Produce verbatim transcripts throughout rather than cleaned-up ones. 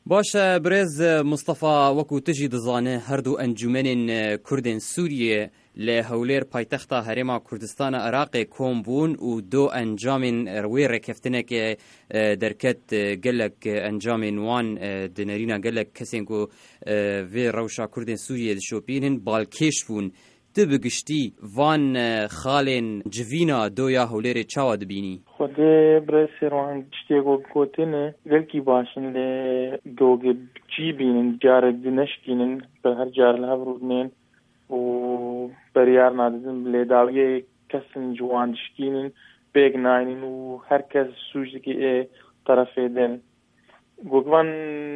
Baş e, birêz Mustafa, wekû tu jî dizane, her du encûmenên Kurdên Sûriyê li Hewlêr, paytexta Herêma Kurdistana Iraqê, kom bûn û du encamên wê rêkeftinekê, e, derket. E, gelek encamên wan, e, di nerîna gelek kesên ku, e, vê rewşa Kurdên Sûriyê dişopînin, balkêş bûn. Tu bi giştî van, e, xalên civîna doya Hewlêrê çawa dibînî? Xwedê birêz Sêrwan, tiştê ku gotine gelkî baş in, lê gogê cî bînin, carek di neşkînin, bi her car li hev rûdinên û beryar nadidin, bi lêdawiyê kesin ji wan dişkînin, pêk naynin û her kes sûc dike ê terefê din. Gogvan,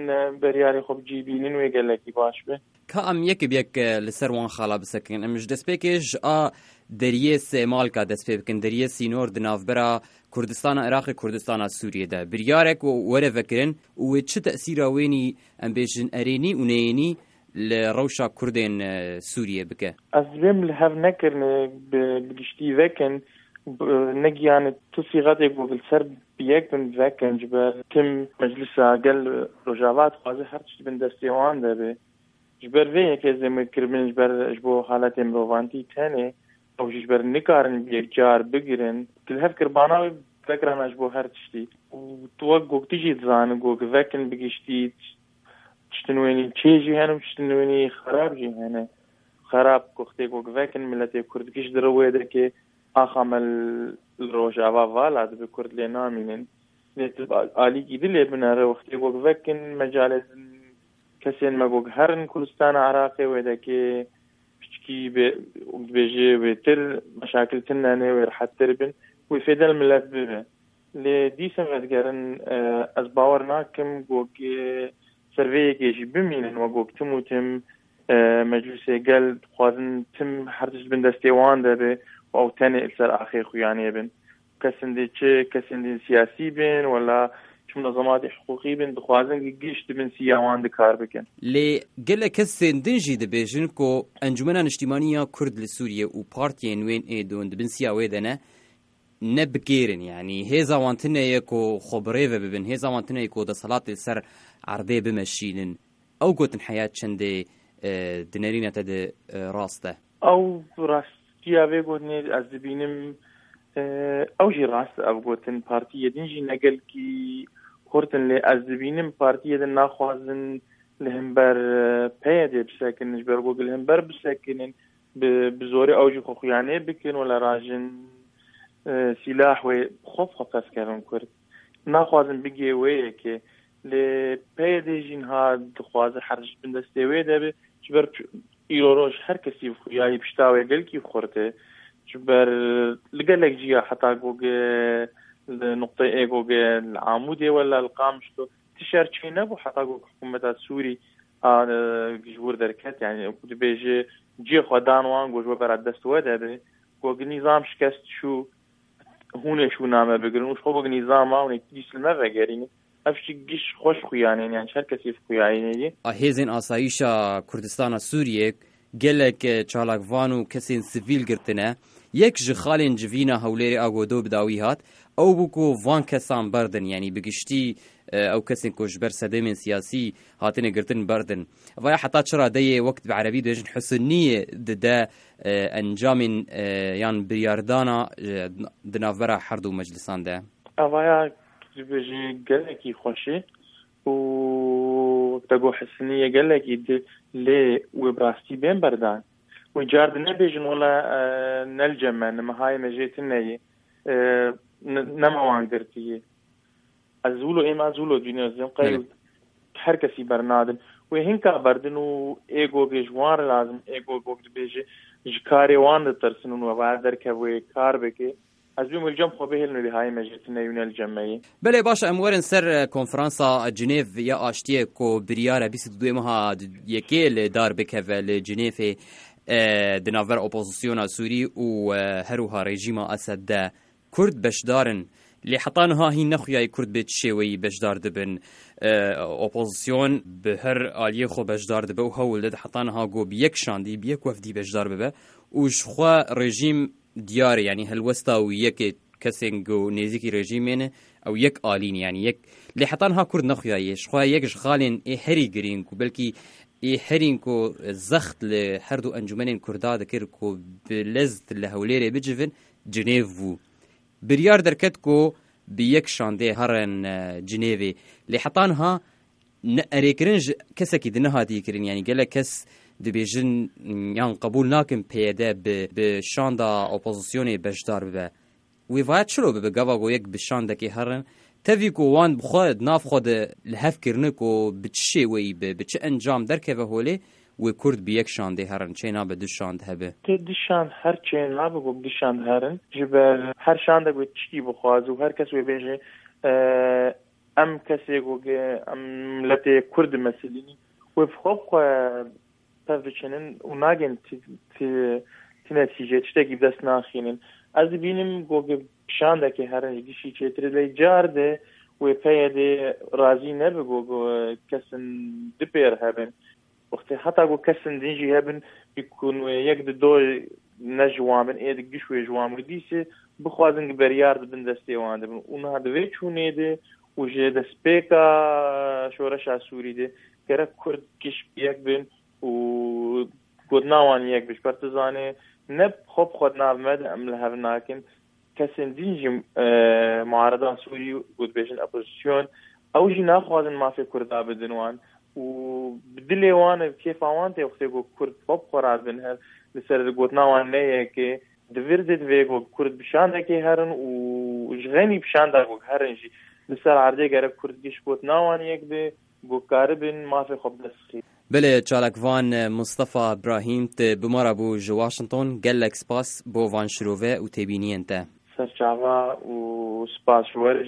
e, beryarê xwe bi cî bînin wê gelekî baş be. Ka em yek bi yek, e, li ser wan xala bisekin. Em ji destpêkê ji a deriyê Sêmalka dest pê bikin. Deriyê sînor di navbera Kurdistana Iraqê, Kurdistana Sûriyê de. Biryarek were vekirin û wê çi tesîra wênî, em bêjin, erênî û neyênî li rewşa Kurdên, e, Sûriyê bike? Ez dibêm li hev nekirine bi, bi giştî vekin, bi, negiyane tu sîxetê ku li ser bi yek bin vekin, ji ber tim meclisa gel Rojava dixwaze her tişt bin destê wan de be. Ji ber vê yekê ez dibêm kiribin, ji ber ji bo haletê mirovantî tenê, ew jî ji ber nikarin bi yek car bigirin. Di li hev kirbana wê vekirana ji bo her tiştî. Û tu wek gotî jî dizanî, got vekin bi giştî, tiştin wênî çê jî hene û tiştin wênî xerab jî hene. Xerab ku xtê ku vekin, miletê Kurd giş di rewê de ke axa me li Rojava vala dibe, Kurd lê namînin. Lê tu alîkî dilê binere, wextê ku vekin, mecalê kesên me ku herin Kurdistana Iraqê wê de ke piçkî bê, dibêje wêtir meşakil tune ne, wê rehettir bin, wê fêdel milet bibe. Lê dîsa vedigerin, e, ez bawer nakim ku gi-, ser vê yekê jî bimînin, wek got tim û tim, e, meclûsê gel dixwazin tim her tişt bin destê wan de be û ew tenê li ser axê xuyanê bin. Kesên din çi, kesên din siyasî bin, wela çi munezematê hiqûqî bin, dixwazin gi-, giş di bin siya wan de kar bikin. Lê gelek kesên din jî dibêjin ku Encûmena Niştimanî ya Kurd li Sûriyê û partiyên wên ê don di bin siya wê de ne, ne bi kêr in, yanî hêza wan tune ye ku xwe bi rê ve bibin, hêza wan tune ye ku desthilatê li ser erdê bimeşînin. Ew gotin heya çendê, e, di nerîna te de, e, rast e? Ew rastiya vê gotinê ez dibînim, e, ew jî rast e, ev gotin partiyê din jî ne gelkî xurt in, lê ez dibînim partiyê din naxwazin li hember, e, P Y D'ê bisekinin, ji ber ku li hember bisekinin, bi, bi zorê ew jî xwe xuyanê bikin, wela rajin, e, sîlah wê xwe xwe pes kevin Kurd. Naxwazin bigê wê yekê. Lê P Y D jî niha dixwaze her tişt bin destê wê de be. Ji ber çi-, îro roj her kesî bi xuyayî pişta wê gelkî xurt e. Ji ber li gelek ciya heta ku ge-, li nuqteyê ku ge li Amûdê wela li Qamişlo ti şer çê nebû heta ku hikûmeta Sûrî a, e, ji wir derket, yani ku dibêje cihê xwe dan wan, ku ji we bera dest we de be, ku nîzam şikest çû, hûn ê şûna me bigirin û ji xwe ku nîzama hûn ê dîs li me vegerînin. Ev jî giş xweş xuyanên, yani ji her kesî xuyanê ye. A hêzên asayîşa Kurdistana Sûriyê gelek, e, çalakvan û kesên sivîl girtine. Yek ji xalên civîna Hewlêrê a ku do bi dawî hat, ew bû ku van kesan berdin, yanî bi giştî, e, ew kesên ku ji ber sedemên siyasî hatine girtin berdin. Vaya heta çi radeyê, wek bi erebî dibêjin, husniyê dide, e, encamên, e, yan biryardana, e, di navbera her du meclisan de? Evaya dibêje gelekî xweş e û wek te got husniyê gelekî di, lê wê bi rastî bên berdan. Wê car di nebêjin wela, e, ne li cem me, ne mehayê me jê tune ye. E, ne, ne me wan girtiye. Ez wilo, êma ez wilo dibînim, ez dibêm qey Belê. Her kesî bernadin. Wê hinka berdin û ê gogê ji wan re lazim, ê gog, gog dibêje, ji karê wan ditirsin û we va derkev wê kar bike. Ez dibêm wê li cem xwe bihêlin û bihayê me jê tune û ne li cem me yê. Belê, baş e, em werin ser, e, konferansa Cinêv ya Aştiyê ku biryar e bîst û duyê meha yekê li dar bikeve li Cinêvê, e, di navbera opozisyona Sûrî û, e, her wiha rejîma Esed de. Kurd beşdar in. Lê heta niha hîn nexuyayî Kurd bê çi şêweyî beşdar dibin. E, opozisyon bi her aliyê xwe beşdar dibe û hewl dide heta niha ku bi yek şandî, bi yek wefdî beşdar bibe û ji xwe rejîm diyar e, yanî helwesta wî yekê kesên ku nêzîkî rejîmê ne, Ew yek alîn, yanî yek. Lê heta niha Kurd nexuyaye. Ji xwe yek ji xalên ê herî girîng û belkî ê herîn ku zext li her du encûmenên Kurda dikir ku bi lez li Hewlêrê bicivin, Cinêv bû. Biryar derket ku bi yek şandê herin, e, Cinêvê. Lê heta niha ne erêkirin ji kesekî din nehatiye kirin. Yanî gelek kes dibêjin yan qebûl nakin P Y D bi, bi şanda opozisyonê beşdar bibe. Wê vaya çilo bibe gava ku yek bi şandekê herin? Tevî ku wan bi xwe di nav xwe de li hev kirine ku bi çi şêweyî be, bi çi encam derkeve holê, wê Kurd bi yek şandê herin, çê nabe du şand hebe. Tê du şand her çê nabe ku du şand herin. Ji ber her şandek wê tiştî bixwaze û her kes wê bêje, e, em kesê ku ge-, em miletê Kurd meselînî, wê bi xwe bi xwe tev biçinin û nagên ti, ti, ti netîce tiştekî bi dest naxînin. Ez dibînim ku ge-, şandekê herin ji gişî çêtir e, lê car de wê P Y D razî nebe ku, ku kesin du pêr hebin. Wextê heta ku kesin din jî hebin, bi ku wê yek di do ne ji wan bin, ê di giş wê ji wan bin, dîse bixwazin ki beryar dibin destê wan dibin. Û niha di vê çûnê de û ji destpêka şoreşa Sûrî de gerek Kurd giş bi yek bin û gotina wan yek bin. Ji ber tu zanê ne xwe bi xwe di nav me de em li hev nakin. Kesên din jî, e, muareda Sûrî, ku dibêjin opozisyon, ew jî naxwazin mafê Kurda bidin wan û bi dilê wan e, bi kêfa wan tê wextê ku Kurd xwe bi xwe radibin hev, li ser gotina wan ne yekê. Di vir de divê ku Kurd bi şandekê herin û ji xeynî bi şanda ku herin jî li ser erdê gerek Kurd giş gotina wan yek be, ku karibin mafê xwe bi dest xî. Belê, çalakvan Mustafa Brahîm, tu bi me re bû ji Washington. Gelek spas bo van şirove û têbîniyên te. Serçava û spas ji we re.